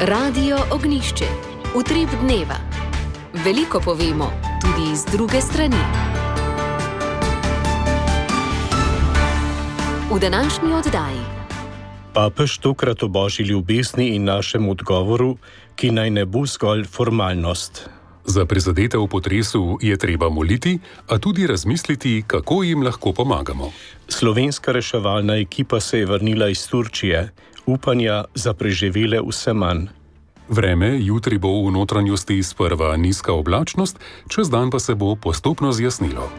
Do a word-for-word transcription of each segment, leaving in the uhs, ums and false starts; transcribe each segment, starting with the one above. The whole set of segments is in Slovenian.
Radio Ognjišče. Utrip dneva. Veliko povemo, tudi iz druge strani. V današnji oddaji. Papež tokrat o božji ljubezni in našem odgovoru, ki naj ne bo zgolj formalnost. Za prizadete v potresu je treba moliti, a tudi razmisliti, kako jim lahko pomagamo. Slovenska reševalna ekipa se je vrnila iz Turčije, upanja za preživele vse manj. Vreme jutri bo v notranjosti sprva nizka oblačnost, čez dan pa se bo postopno zjasnilo.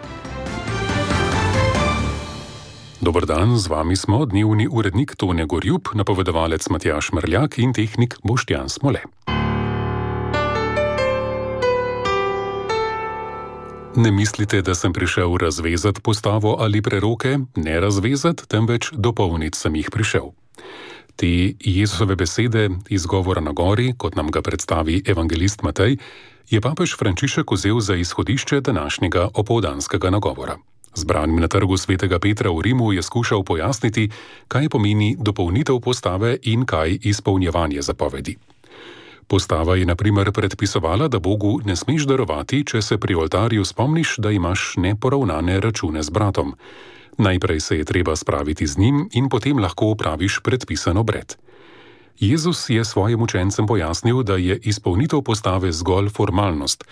Dober dan, z vami smo dnevni urednik Tone Gorjup, napovedovalec Matjaž Mrljak in tehnik Boštjan Smole. Ne mislite, da sem prišel razvezati postavo ali preroke, ne razvezati, temveč dopolniti sem jih prišel. Te Jezusove besede iz govora na gori, kot nam ga predstavi evangelist Matej, je papež Frančišek vzel za izhodišče današnjega opoldanskega nagovora. Zbranim na trgu svetega Petra v Rimu je skušal pojasniti, kaj pomeni dopolnitev postave in kaj izpolnjevanje zapovedi. Postava je na primer predpisovala, da Bogu ne smeš darovati, če se pri oltarju spomniš, da imaš neporavnane račune z bratom. Najprej se je treba spraviti z njim in potem lahko opraviš predpisan obred. Jezus je svojim učencem pojasnil, da je izpolnitev postave zgolj formalnost.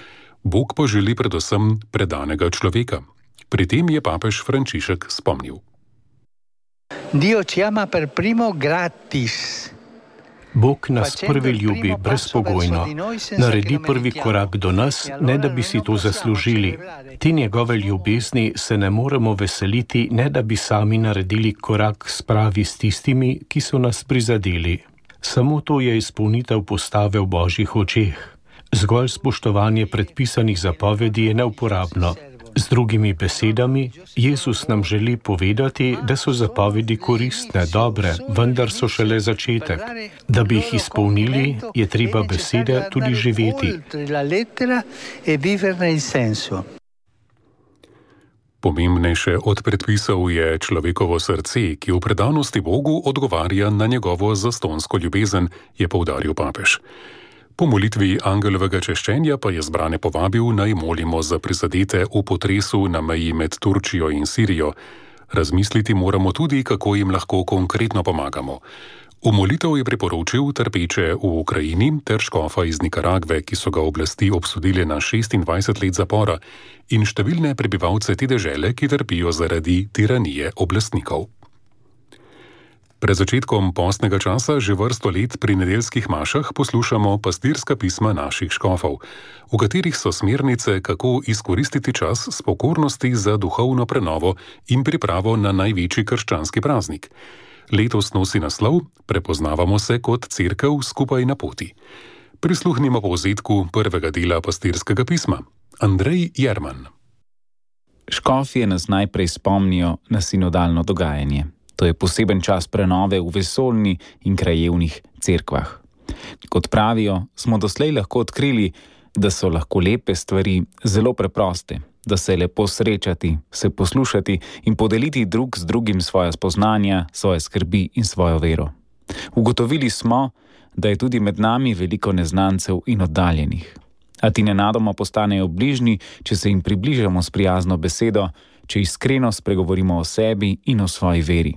Bog pa želi predvsem predanega človeka. Pri tem je papež Frančišek spomnil. Dio ci ama per primo gratis. Bog nas prvi ljubi brezpogojno, naredi prvi korak do nas, ne da bi si to zaslužili. Te njegove ljubezni se ne moremo veseliti, ne da bi sami naredili korak spravi s tistimi, ki so nas prizadeli. Samo to je izpolnitev postave v božjih očeh. Zgolj spoštovanje predpisanih zapovedi je neuporabno. Z drugimi besedami, Jezus nam želi povedati, da so zapovedi koristne, dobre, vendar so šele začetek. Da bi jih izpolnili, je treba besede tudi živeti. Pomembnejše od predpisov je človekovo srce, ki v predanosti Bogu odgovarja na njegovo zastonsko ljubezen, je poudaril papež. Po molitvi angelovega češčenja pa je zbrane povabil, naj molimo za prizadete v potresu na meji med Turčijo in Sirijo. Razmisliti moramo tudi, kako jim lahko konkretno pomagamo. V molitev je priporočil trpeče v Ukrajini ter škofa iz Nikaragve, ki so ga oblasti obsodile na šestindvajset let zapora, in številne prebivalce te dežele, ki trpijo zaradi tiranije oblastnikov. Pred začetkom postnega časa že vrsto let pri nedeljskih mašah poslušamo pastirska pisma naših škofov, v katerih so smernice, kako izkoristiti čas s pokornosti za duhovno prenovo in pripravo na največji krščanski praznik. Letos nosi naslov Prepoznavamo se kot cerkev skupaj na poti. Prisluhnimo povzetku prvega dela pastirskega pisma. Andrej Jerman. Škofje nas najprej spomnijo na sinodalno dogajanje. To je poseben čas prenove v vesoljni in krajevnih cerkvah. Kot pravijo, smo doslej lahko odkrili, da so lahko lepe stvari zelo preproste, da se je lepo srečati, se poslušati in podeliti drug z drugim svoja spoznanja, svoje skrbi in svojo vero. Ugotovili smo, da je tudi med nami veliko neznancev in oddaljenih. A ti nenadoma postanejo bližnji, če se jim približamo s prijazno besedo, če iskreno spregovorimo o sebi in o svoji veri.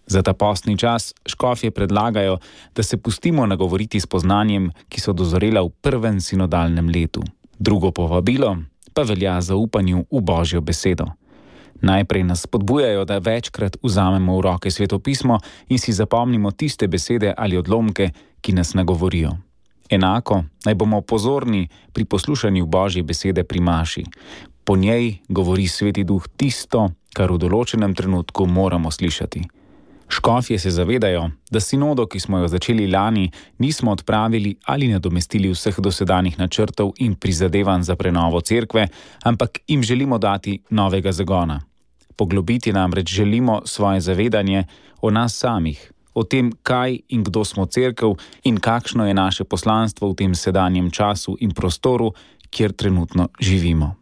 Za ta postni čas škofje predlagajo, da se pustimo nagovoriti s poznanjem, ki so dozorela v prvem sinodalnem letu. Drugo povabilo pa velja zaupanju v Božjo besedo. Najprej nas spodbujajo, da večkrat vzamemo v roke svetopismo in si zapomnimo tiste besede ali odlomke, ki nas nagovorijo. Enako naj bomo pozorni pri poslušanju Božje besede pri maši. Po njej govori Sveti Duh tisto, kar v določenem trenutku moramo slišati. Škofje se zavedajo, da sinodo, ki smo jo začeli lani, nismo odpravili ali nadomestili vseh dosedanjih načrtov in prizadevanj za prenovo cerkve, ampak jim želimo dati novega zagona. Poglobiti namreč želimo svoje zavedanje o nas samih, o tem, kaj in kdo smo cerkev in kakšno je naše poslanstvo v tem sedanjem času in prostoru, kjer trenutno živimo.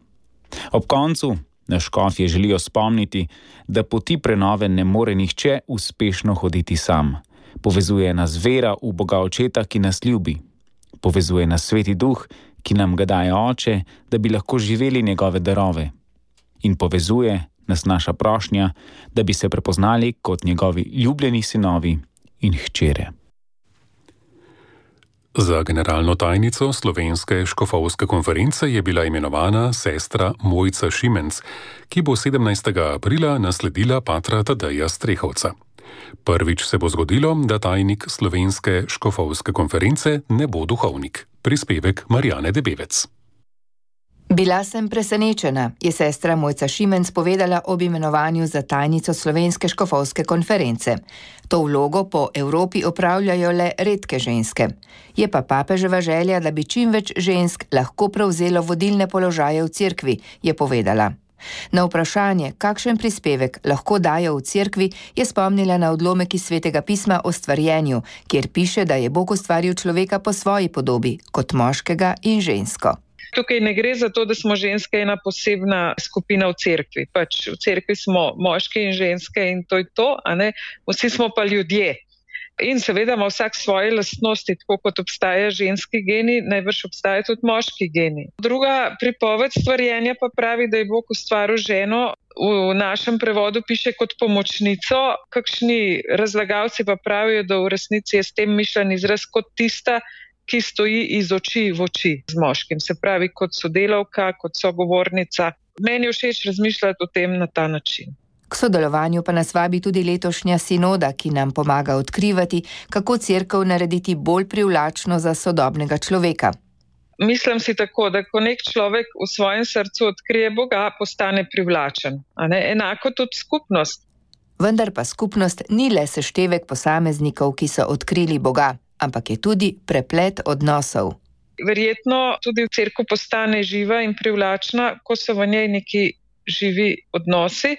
Ob koncu na škofje želijo spomniti, da poti prenove ne more nihče uspešno hoditi sam. Povezuje nas vera v Boga Očeta, ki nas ljubi. Povezuje nas Sveti Duh, ki nam ga daje Oče, da bi lahko živeli njegove darove. In povezuje nas naša prošnja, da bi se prepoznali kot njegovi ljubljeni sinovi in hčere. Za generalno tajnico Slovenske škofovske konference je bila imenovana sestra Mojca Šimenc, ki bo sedemnajstega aprila nasledila patra Tadeja Strehovca. Prvič se bo zgodilo, da tajnik Slovenske škofovske konference ne bo duhovnik. Prispevek Marjane Debevec. Bila sem presenečena, je sestra Mojca Šimenc povedala ob imenovanju za tajnico Slovenske škofovske konference. To vlogo po Evropi opravljajo le redke ženske. Je pa papeževa želja, da bi čim več žensk lahko prevzelo vodilne položaje v cerkvi, je povedala. Na vprašanje, kakšen prispevek lahko dajo v cerkvi, je spomnila na odlomek iz Svetega pisma o stvarjenju, kjer piše, da je Bog ustvaril človeka po svoji podobi, kot moškega in žensko. Tukaj ne gre za to, da smo ženske ena posebna skupina v cerkvi. Pač v cerkvi smo moški in ženske in to je to, a ne? Vsi smo pa ljudje. In seveda ima vsak svoje lastnosti, tako kot obstaja ženski geni, najbrž obstaja tudi moški geni. Druga pripoved stvarjenja pa pravi, da je Bog ustvaril ženo, v našem prevodu piše kot pomočnico, kakšni razlagalci pa pravijo, da v resnici je s tem mišljen izraz kot tista, ki stoji iz oči v oči z moškim, se pravi kot sodelavka, kot sogovornica. Meni je všeč razmišljati o tem na ta način. K sodelovanju pa nas vabi tudi letošnja sinoda, ki nam pomaga odkrivati, kako cerkev narediti bolj privlačno za sodobnega človeka. Mislim si tako, da ko nek človek v svojem srcu odkrije Boga, postane privlačen. A ne? Enako tudi skupnost. Vendar pa skupnost ni le seštevek posameznikov, ki so odkrili Boga, ampak je tudi preplet odnosov. Verjetno tudi cerkev postane živa in privlačna, ko so v njej neki živi odnosi,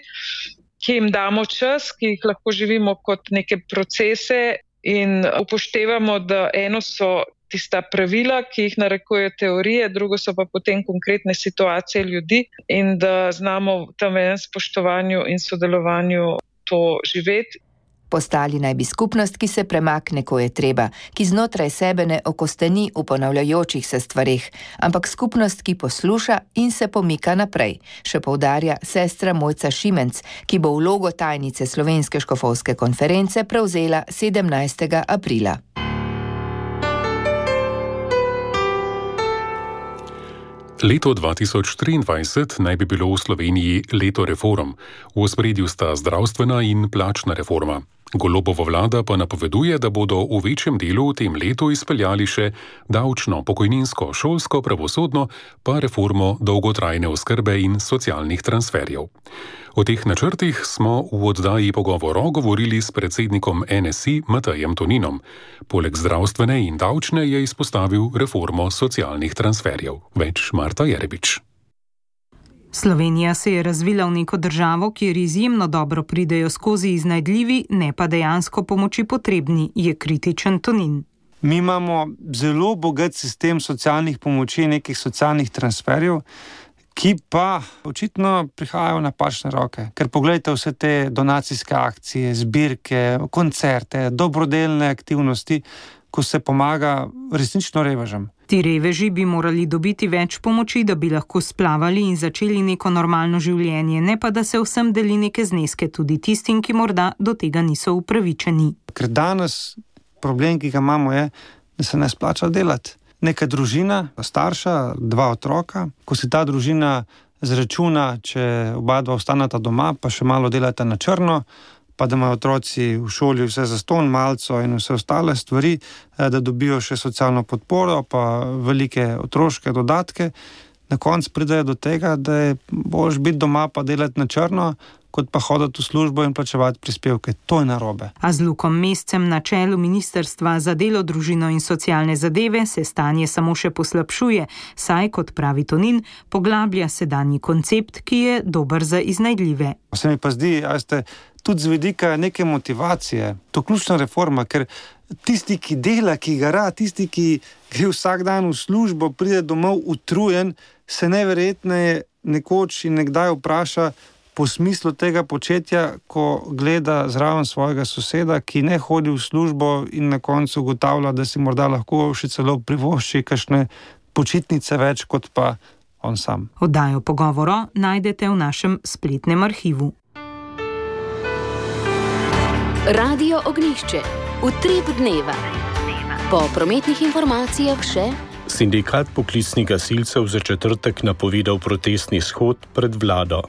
ki jim damo čas, ki jih lahko živimo kot neke procese in upoštevamo, da eno so tista pravila, ki jih narekujejo teorije, drugo so pa potem konkretne situacije ljudi in da znamo v tem enem spoštovanju in sodelovanju to živeti. Postali naj bi skupnost, ki se premakne, ko je treba, ki znotraj sebe ne okosteni v ponavljajočih se stvareh, ampak skupnost, ki posluša in se pomika naprej, še poudarja sestra Mojca Šimenc, ki bo vlogo tajnice Slovenske škofovske konference prevzela sedemnajstega aprila. Leto dva tisoč triindvajset naj bi bilo v Sloveniji leto reform. V ospredju sta zdravstvena in plačna reforma. Golobova vlada pa napoveduje, da bodo v večjem delu v tem letu izpeljali še davčno, pokojninsko, šolsko, pravosodno, pa reformo dolgotrajne oskrbe in socialnih transferjev. O teh načrtih smo v oddaji Pogovoro govorili s predsednikom N S I Matejem Toninom. Poleg zdravstvene in davčne je izpostavil reformo socialnih transferjev. Več Marta Jerebič. Slovenija se je razvila v neko državo, kjer izjemno dobro pridejo skozi iznajdljivi, ne pa dejansko pomoči potrebni, je kritičen Tonin. Mi imamo zelo bogat sistem socialnih pomoči, nekih socialnih transferjev, ki pa očitno prihajajo na napačne roke. Ker pogledajte vse te donacijske akcije, zbirke, koncerte, dobrodelne aktivnosti, ko se pomaga resnično revežem. Ti reveži bi morali dobiti več pomoči, da bi lahko splavali in začeli neko normalno življenje, ne pa da se vsem deli neke zneske tudi tistim, ki morda do tega niso upravičeni. Ker danes problem, ki ga imamo, je, da se ne splača delati. Neka družina, starša, dva otroka, ko se ta družina zračuna, če oba dva ostaneta doma, pa še malo delata na črno, pa da imajo otroci v šoli vse zastonj, malco in vse ostale stvari, da dobijo še socialno podporo, pa velike otroške dodatke. Na koncu pridejo do tega, da je boljše biti doma pa delati na črno, kot pa hoditi v službo in plačevati prispevke. To je narobe. A z Lukom Mescem na čelu Ministrstva za delo, družino in socialne zadeve se stanje samo še poslabšuje, saj, kot pravi Tonin, poglablja sedanji koncept, ki je dober za iznajdljive. Se mi pa zdi, a ste, tudi z vidika neke motivacije, to ključna reforma, ker tisti, ki dela, ki gara, tisti, ki gre vsak dan v službo, pride domov utrujen, se neverjetneje nekoč in nekdaj vpraša, po smislu tega početja, ko gleda zraven svojega soseda, ki ne hodi v službo in na koncu ugotavlja, da si morda lahko še celo privošči kakšne počitnice več kot pa on sam. Oddajo Pogovoro najdete v našem spletnem arhivu. Radio Ognjišče. Utrip dneva. Po prometnih informacijah še... Sindikat poklicnih gasilcev za četrtek napovedal protestni shod pred vlado.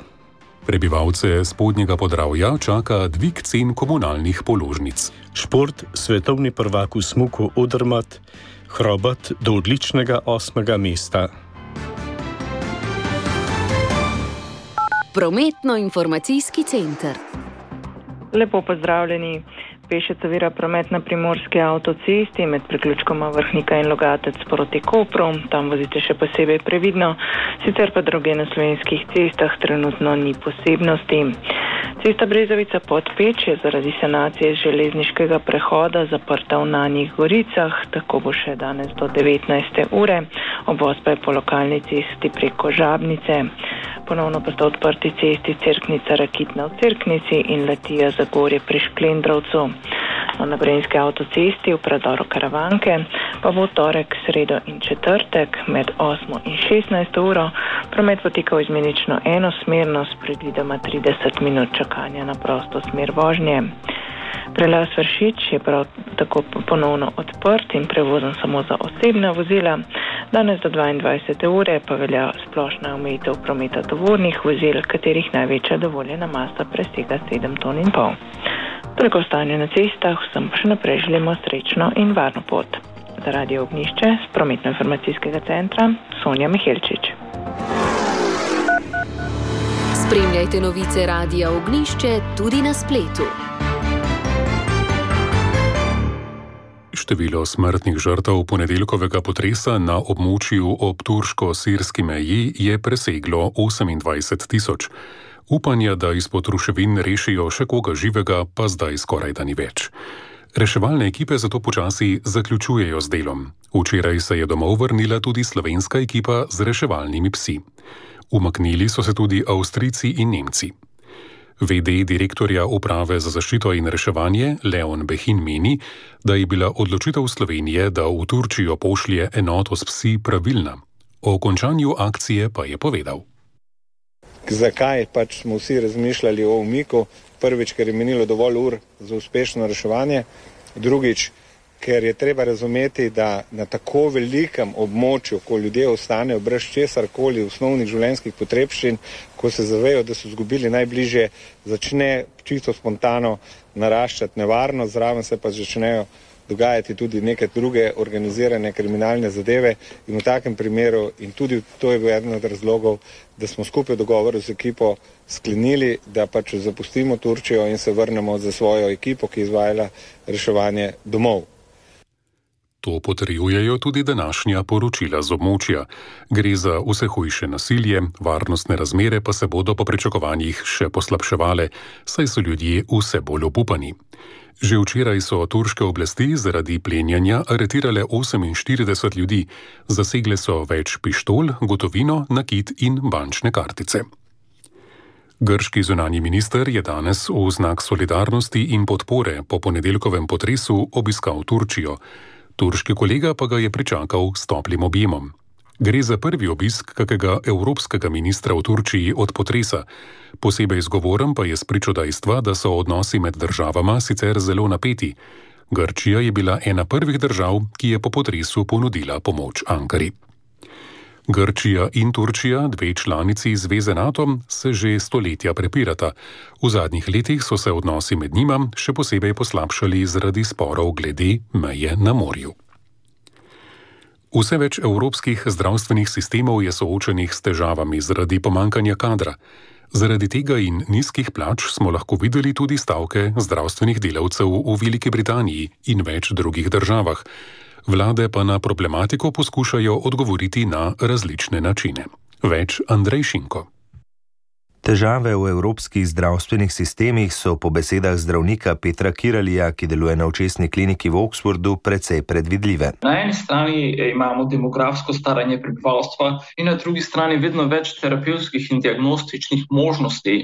Prebivalce Spodnjega Podravja čaka dvig cen komunalnih položnic. Šport, svetovni prvak v smuku Odermatt, Hrobat do odličnega osmega mesta. Prometno-informacijski center. Lepo pozdravljeni. Pešec ovira promet na primorski avtocesti med priključkoma Vrhnika in Logatec proti Kopru. Tam vozite še posebej previdno, sicer pa druge na slovenskih cestah trenutno ni posebnosti. Cesta Brezovica Podpeč je zaradi sanacije železniškega prehoda zaprta v Nanjih Goricah, tako bo še danes do devetnajste ure, obvoz pa je po lokalni cesti preko Žabnice. Ponovno pa sta odprti cesti Cerknica Rakitna v Cerknici in Letija Zagorje pri Šklendrovcu. Na Gorenjski avtocesti v predoru Karavanke pa bo torek, sredo in četrtek med osmo in šestnajsto uro promet potekal izmenično enosmerno s predvidoma trideset minut čakanja na prosto smer vožnje. Prelaz Vršič je prav tako ponovno odprt in prevozen samo za osebna vozila. Danes do dvaindvajsete ure pa velja splošna omejitev prometa tovornih vozil, katerih največja dovoljena masa presega sedem ton in pol. Toliko stanje na cestah, vsem pa še naprej želimo srečno in varno pot. Za Radio Ognjišče z prometno-informacijskega centra Sonja Mihelčič. Spremljajte novice Radia Ognjišče tudi na spletu. Število smrtnih žrtev ponedeljkovega potresa na območju ob turško-sirski meji je preseglo osemindvajset tisoč. Upanja, da izpod ruševin rešijo še koga živega, pa zdaj skoraj da ni več. Reševalne ekipe zato počasi zaključujejo z delom. Včeraj se je domov vrnila tudi slovenska ekipa z reševalnimi psi. Umaknili so se tudi Avstrijci in Nemci. V D direktorja Uprave za zaščito in reševanje Leon Behin meni, da je bila odločitev Slovenije, da v Turčijo pošlje enoto s psi, pravilna. O končanju akcije pa je povedal. Zakaj pač smo vsi razmišljali o umiku? Prvič, ker je menilo dovolj ur za uspešno reševanje. Drugič, ker je treba razumeti, da na tako velikem območju, ko ljudje ostanejo brez česarkoli osnovnih življenjskih potrebščin, ko se zavejo, da so izgubili najbližje, začne čisto spontano naraščati nevarnost, zraven se pa začnejo dogajati tudi neke druge organizirane kriminalne zadeve in v takem primeru, in tudi to je bil eden od razlogov, da smo skupaj v dogovoru z ekipo sklenili, da pač zapustimo Turčijo in se vrnemo za svojo ekipo, ki je izvajala reševanje domov. To potrjujejo tudi današnja poročila z območja. Gre za vse hujše nasilje, varnostne razmere pa se bodo po pričakovanjih še poslabševale, saj so ljudje vse bolj obupani. Že včeraj so turške oblasti zaradi plenjanja aretirale oseminštirideset ljudi, zasegle so več pištol, gotovino, nakit in bančne kartice. Grški zunanji minister je danes v znak solidarnosti in podpore po ponedeljkovem potresu obiskal Turčijo. Turški kolega pa ga je pričakal s toplim objemom. Gre za prvi obisk kakega evropskega ministra v Turčiji od potresa. Posebej zgovoren pa je spričo dejstva, da so odnosi med državama sicer zelo napeti. Grčija je bila ena prvih držav, ki je po potresu ponudila pomoč Ankari. Grčija in Turčija, dve članici zveze NATO, se že stoletja prepirata. V zadnjih letih so se odnosi med njima še posebej poslabšali zaradi sporov glede meje na morju. Vse več evropskih zdravstvenih sistemov je soočenih s težavami zaradi pomankanja kadra. Zaradi tega in nizkih plač smo lahko videli tudi stavke zdravstvenih delavcev v Veliki Britaniji in več drugih državah. Vlade pa na problematiko poskušajo odgovoriti na različne načine. Več Andrej Šinko. Težave v evropskih zdravstvenih sistemih so po besedah zdravnika Petra Kiralija, ki deluje na očesni kliniki v Oxfordu, precej predvidljive. Na eni strani imamo demografsko staranje prebivalstva in na drugi strani vedno več terapevtskih in diagnostičnih možnosti.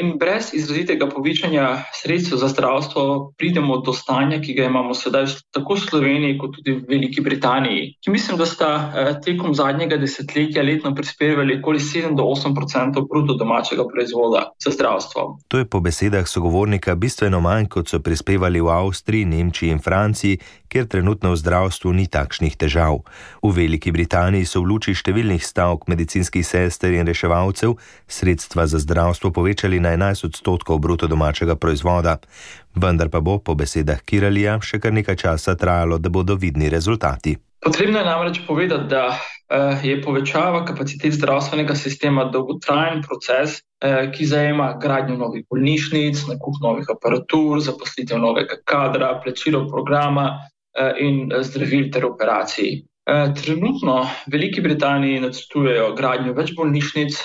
In brez izrazitega povečanja sredstev za zdravstvo pridemo do stanja, ki ga imamo sedaj tako v Sloveniji kot tudi v Veliki Britaniji, ki mislim, da sta tekom zadnjega desetletja letno prispevali okoli sedem do osem procentov bruto domačega proizvoda za zdravstvo. To je po besedah sogovornika bistveno manj, kot so prispevali v Avstriji, Nemčiji in Franciji, kjer trenutno v zdravstvu ni takšnih težav. V Veliki Britaniji so v luči številnih stavk medicinskih sester in reševalcev sredstva za zdravstvo povečali na enajst odstotkov bruto domačega proizvoda. Vendar pa bo po besedah Kiralija še kar nekaj časa trajalo, da bodo vidni rezultati. Potrebno je namreč povedati, da je povečava kapacitet zdravstvenega sistema dolgotrajen proces, ki zajema gradnjo novih bolnišnic, nakup novih aparatur, zaposlitev novega kadra, plačilo programa in zdravil ter operacij. Trenutno v Veliki Britaniji načrtujejo gradnjo več bolnišnic,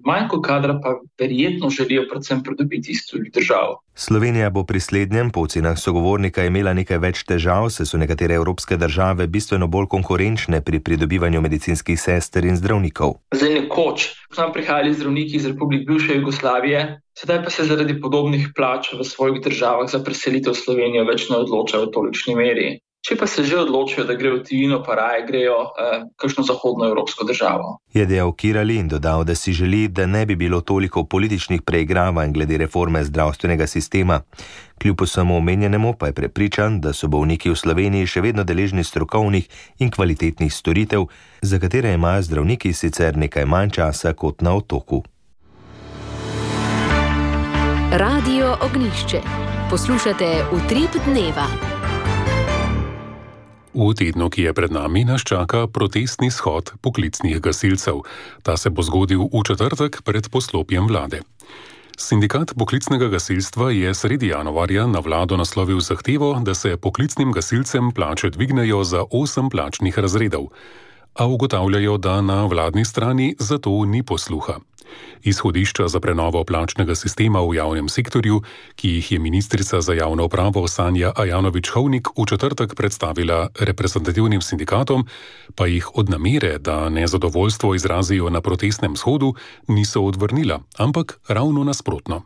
manjko kadra pa verjetno želijo predvsem pridobiti iz tujih držav. Slovenija bo pri slednjem po ocenah sogovornika imela nekaj več težav, saj so nekatere evropske države bistveno bolj konkurenčne pri pridobivanju medicinskih sester in zdravnikov. Zdaj nekoč k nam prihajali zdravniki iz republik bivše Jugoslavije, sedaj pa se zaradi podobnih plač v svojih državah za preselitev v Slovenijo več ne odločajo v tolikšni meri. Če pa se že odločijo, da grejo v tujino, pa raje grejo eh, kakšno zahodno evropsko državo. Je dejal Kirali in dodal, da si želi, da ne bi bilo toliko političnih preigravanj glede reforme zdravstvenega sistema. Kljub vsemu omenjenemu pa je prepričan, da so bolniki v Sloveniji še vedno deležni strokovnih in kvalitetnih storitev, za katere imajo zdravniki sicer nekaj manj časa kot na otoku. Radio Ognjišče. Poslušate Utrip dneva. V tednu, ki je pred nami, nas čaka protestni shod poklicnih gasilcev. Ta se bo zgodil v četrtek pred poslopjem vlade. Sindikat poklicnega gasilstva je sredi januarja na vlado naslovil zahtevo, da se poklicnim gasilcem plače dvignejo za osem plačnih razredov. A ugotavljajo, da na vladni strani za to ni posluha. Izhodišča za prenovo plačnega sistema v javnem sektorju, ki jih je ministrica za javno upravo Sanja Ajanović-Hovnik v četrtek predstavila reprezentativnim sindikatom, pa jih od namere, da nezadovoljstvo izrazijo na protestnem shodu, niso odvrnila, ampak ravno nasprotno.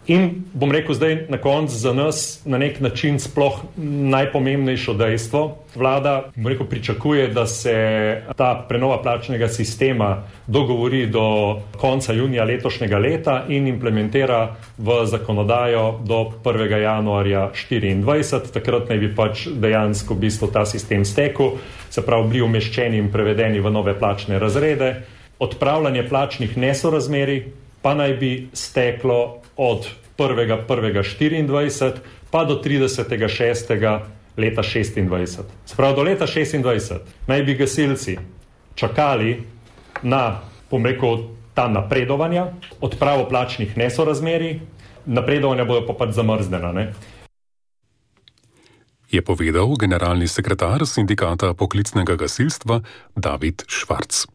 In bom rekel zdaj na koncu za nas na nek način sploh najpomembnejšo dejstvo. Vlada, bom rekel, pričakuje, da se ta prenova plačnega sistema dogovori do konca junija letošnjega leta in implementira v zakonodajo do prvega januarja štiriindvajset. Takrat naj bi pač dejansko v bistvu ta sistem stekel, se pravi bili umeščeni in prevedeni v nove plačne razrede. Odpravljanje plačnih nesorazmerij pa naj bi steklo od prvega prvega štiriindvajset pa do tridesetega šestega leta šestindvajset. Sprav do leta šestindvajset naj bi gasilci čakali na, bom rekel, ta napredovanja, odpravo plačnih nesorazmerij, napredovanja bodo pa pač zamrznjena, ne? Je povedal generalni sekretar sindikata poklicnega gasilstva David Švarc.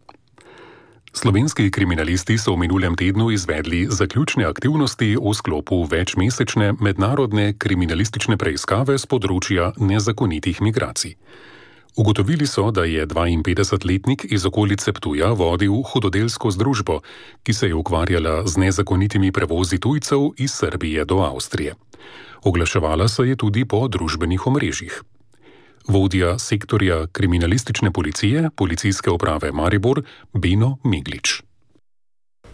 Slovenski kriminalisti so v minulem tednu izvedli zaključne aktivnosti v sklopu večmesečne mednarodne kriminalistične preiskave z področja nezakonitih migracij. Ugotovili so, da je dvainpetdesetletnik iz okolice Ptuja vodil hudodelsko združbo, ki se je ukvarjala z nezakonitimi prevozi tujcev iz Srbije do Avstrije. Oglaševala se je tudi po družbenih omrežjih. Vodja sektorja kriminalistične policije, policijske uprave Maribor, Beno Meglič.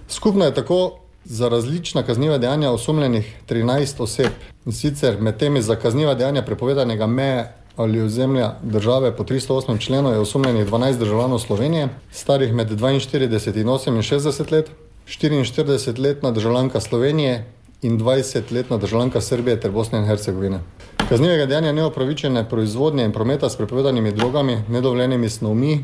Skupno je tako za različna kazniva dejanja osumljenih trinajst oseb. In sicer med temi za kazniva dejanja prepovedanega meje ali ozemlja države po tristo osmem členu je osumljenih dvanajst državljanov Slovenije, starih med dvainštirideset in oseminšestdeset let, štiriinštiridesetletna državljanka Slovenije in dvajsetletna državljanka Srbije ter Bosne in Hercegovine. Kaznivega dejanja neopravičene proizvodnje in prometa s prepovedanimi drogami, nedovoljenimi snovmi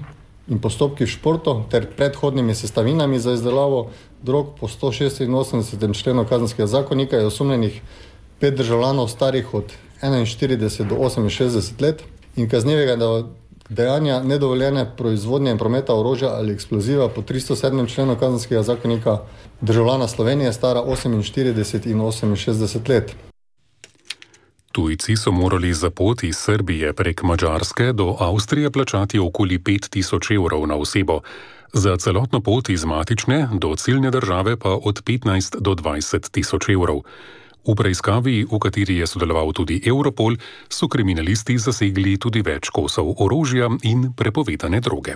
in postopki v športu ter predhodnimi sestavinami za izdelavo drog po stošestinosemdesetem členu Kazenskega zakonika je osumljenih pet državljanov starih od enainštirideset do oseminšestdeset let in kaznivega, dejanja nedovoljene proizvodnje in prometa orožja ali eksploziva po tristo sedmem členu Kazenskega zakonika državljana Slovenije stara oseminštirideset in oseminšestdeset let. Tujci so morali za pot iz Srbije prek Madžarske do Avstrije plačati okoli pet tisoč evrov na osebo. Za celotno pot iz matične do ciljne države pa od petnajst do dvajset tisoč evrov. V preiskavi, v kateri je sodeloval tudi Europol, so kriminalisti zasegli tudi več kosov orožja in prepovedane droge.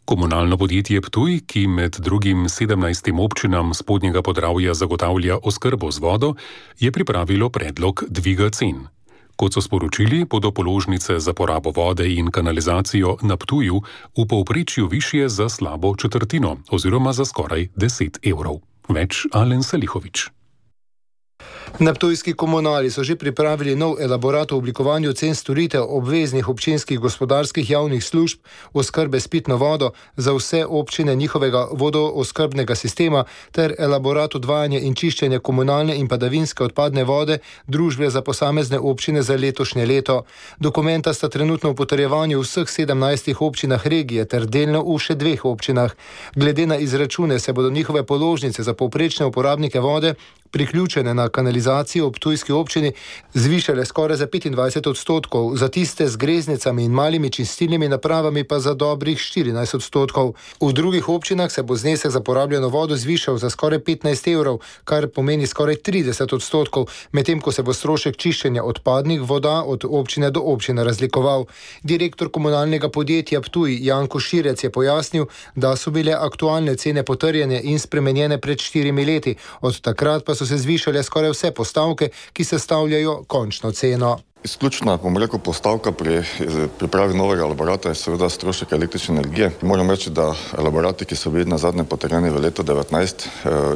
Komunalno podjetje Ptuj, ki med drugim sedemnajstim občinam Spodnjega Podravja zagotavlja oskrbo z vodo, je pripravilo predlog dviga cen. Kot so sporočili, bodo položnice za porabo vode in kanalizacijo na Ptuju v povprečju višje za slabo četrtino oziroma za skoraj deset evrov. Več Alen Salihovič. Na ptujski komunali so že pripravili nov elaborat o oblikovanju cen storitev obveznih občinskih gospodarskih javnih služb oskrbe s pitno vodo za vse občine njihovega vodooskrbnega sistema ter elaborat odvajanja in čiščenja komunalne in padavinske odpadne vode družbe za posamezne občine za letošnje leto. Dokumenta sta trenutno v potrjevanju v vseh sedemnajstih občinah regije ter delno v še dveh občinah. Glede na izračune se bodo njihove položnice za povprečne uporabnike vode priključene na kanalizacijo v ptujski občini zvišale skoraj za petindvajset odstotkov, za tiste z greznicami in malimi čistilnimi napravami pa za dobrih štirinajst odstotkov. V drugih občinah se bo znesek za porabljeno vodo zvišal za skoraj petnajst evrov, kar pomeni skoraj trideset odstotkov, medtem ko se bo strošek čiščenja odpadnih voda od občine do občine razlikoval. Direktor komunalnega podjetja Ptuj Janko Širec je pojasnil, da so bile aktualne cene potrjene in spremenjene pred štirimi leti, od takrat pa so se zvišale skoraj vse postavke, ki sestavljajo končno ceno. Izključna, bom rekel, postavka pri pripravi novega elaborata je seveda strošek električne energije. Moram reči, da elaborati, ki so bili na zadnje potrjeni v letu devetnajst,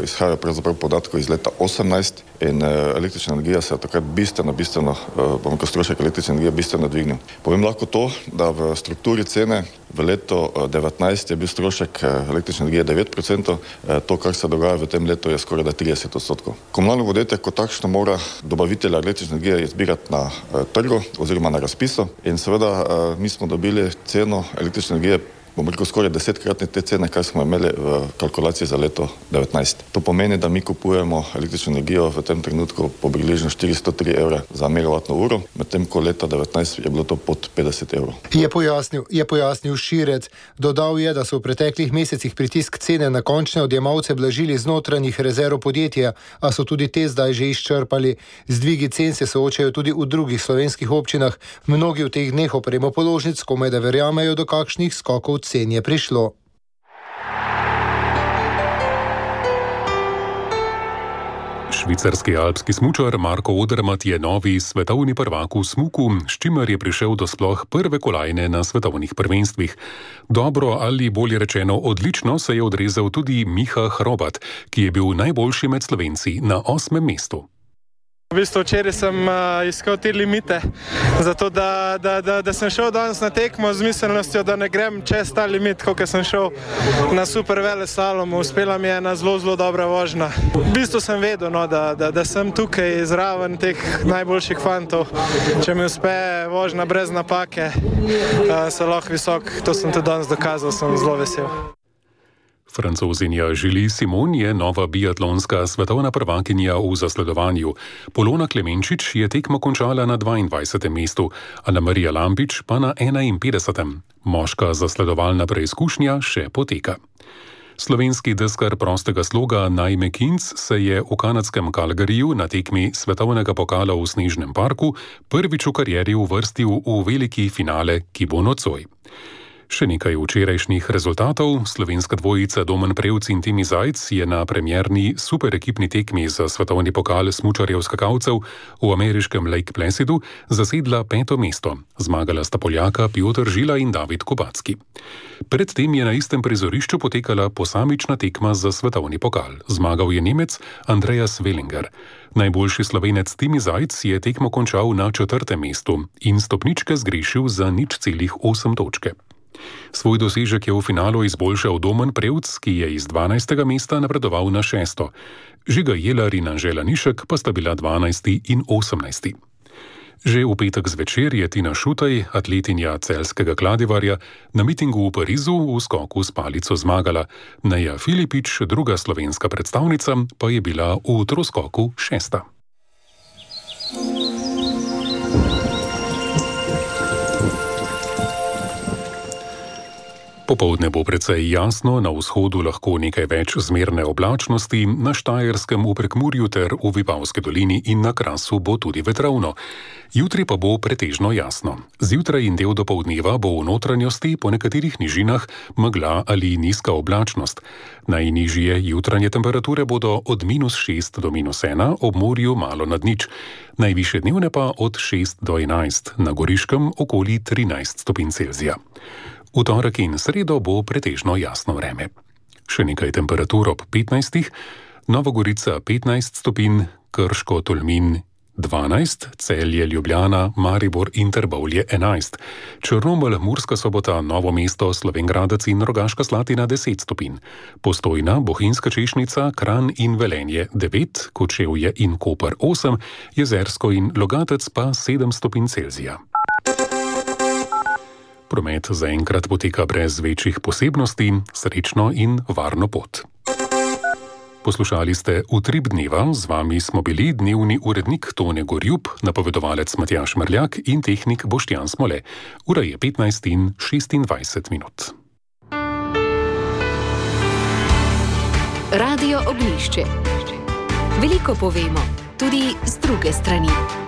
izhajajo pravzaprav podatkov iz leta osemnajst in električna energija se je takrat bistveno, bistveno, bom rekel, strošek električne energije bistveno dvignil. Povem lahko to, da v strukturi cene v letu devetnajst je bil strošek električne energije devet procentov, to, kar se dogaja v tem letu, je skoraj da trideset odstotkov. Komunalno podjetje kot takšno mora dobavitelja električne energije izbirati na trgu oziroma na razpisu in seveda mi smo dobili ceno električne energije, bom rekel, skoraj desetkratne te cene, kar smo imeli v kalkulaciji za leto devetnajst. To pomeni, da mi kupujemo električno energijo v tem trenutku po približno štiristo tri evre za megavatno uro, medtem ko leta devetnajst je bilo to pod petdeset evrov. Je pojasnil, je pojasnil Širec. Dodal je, da so v preteklih mesecih pritisk cene na končne odjemalce blažili z notranjih rezerv podjetja, a so tudi te zdaj že izčrpali. Z dvigi cen se soočajo tudi v drugih slovenskih občinah. Mnogi v teh dneh opremo položnic komaj da verjamejo, do kakšnih skokov cen je prišlo. Švicarski alpski smučar Marko Odermatt je novi svetovni prvak v smuku, s čimer je prišel do sploh prve kolajne na svetovnih prvenstvih. Dobro ali bolje rečeno odlično se je odrezal tudi Miha Hrobat, ki je bil najboljši med Slovenci na osmem mestu. V bistvu včeraj sem uh, iskal te limite, zato da, da, da, da sem šel danes na tekmo z miselnostjo, da ne grem čez ta limit, kot sem šel na super veleslalomu. Uspela mi je ena zelo, zelo dobra vožnja. V bistvu sem vedel, no, da, da, da sem tukaj zraven teh najboljših fantov. Če mi uspe vožnja brez napake, uh, se lahko visok, to sem tudi danes dokazal, sem zelo vesel. Francozinja Julie Simon je nova biatlonska svetovna prvakinja v zasledovanju. Polona Klemenčič je tekmo končala na dvaindvajsetem mestu, Ana Marija Lampič pa na enainpetdesetem. Moška zasledovalna preizkušnja še poteka. Slovenski deskar prostega sloga Naime Kinc se je v kanadskem Calgaryju na tekmi svetovnega pokala v Snežnem parku prvič v karieri uvrstil v veliki finale, ki bo nocoj. Še nekaj včerajšnjih rezultatov. Slovenska dvojica Domen Prevc in Timi Zajc je na premierni superekipni tekmi za svetovni pokal smučarjev skakalcev v ameriškem Lake Placidu zasedla peto mesto. Zmagala sta Poljaka Piotr Žila in David Kubacki. Predtem je na istem prizorišču potekala posamična tekma za svetovni pokal. Zmagal je Nemec Andreas Wellinger. Najboljši Slovenec Timi Zajc je tekmo končal na četrtem mestu in stopničke zgrešil za nič celih osem točke. Svoj dosežek je v finalu izboljšal Domen Prevc, ki je iz dvanajstega mesta napredoval na šesto. Žiga Jelar in Anžela Nišek pa sta bila dvanajsti in osemnajsti. Že v petek zvečer je Tina Šutej, atletinja celjskega Kladivarja, na mitingu v Parizu v skoku s palico zmagala. Neja Filipič, druga slovenska predstavnica, pa je bila v troskoku šesta. Popoldne bo precej jasno, na vzhodu lahko nekaj več zmerne oblačnosti, na Štajerskem, v Prekmurju ter v Vipavski dolini in na Krasu bo tudi vetrovno. Jutri pa bo pretežno jasno. Zjutraj in del dopoldneva bo v notranjosti po nekaterih nižinah megla ali nizka oblačnost. Najnižje jutranje temperature bodo od minus šest do minus ena, ob morju malo nad nič. Najvišje dnevne pa od šest do enajst, na Goriškem okoli trinajst stopinj Celzija. V torek in sredo bo pretežno jasno vreme. Še nekaj temperatur ob petnajstih, Nova Gorica petnajst stopinj, Krško, Tolmin dvanajst, Celje, Ljubljana, Maribor in Trbovlje enajst, Črnomelj, Murska Sobota, Novo mesto, Slovenj Gradec in Rogaška Slatina deset stopinj, Postojna, Bohinjska Češnica, Kranj in Velenje devet, Kočevje in Koper osem, Jezersko in Logatec pa sedem stopinj Celzija. Promet zaenkrat poteka brez večjih posebnosti, srečno in varno pot. Poslušali ste Utrip dneva, z vami smo bili dnevni urednik Tone Gorjub, napovedovalec Matjaž Mrljak in tehnik Boštjan Smole. Ura je petnajst in šestindvajset minut. Radio Oglišče. Veliko povemo, tudi z druge strani.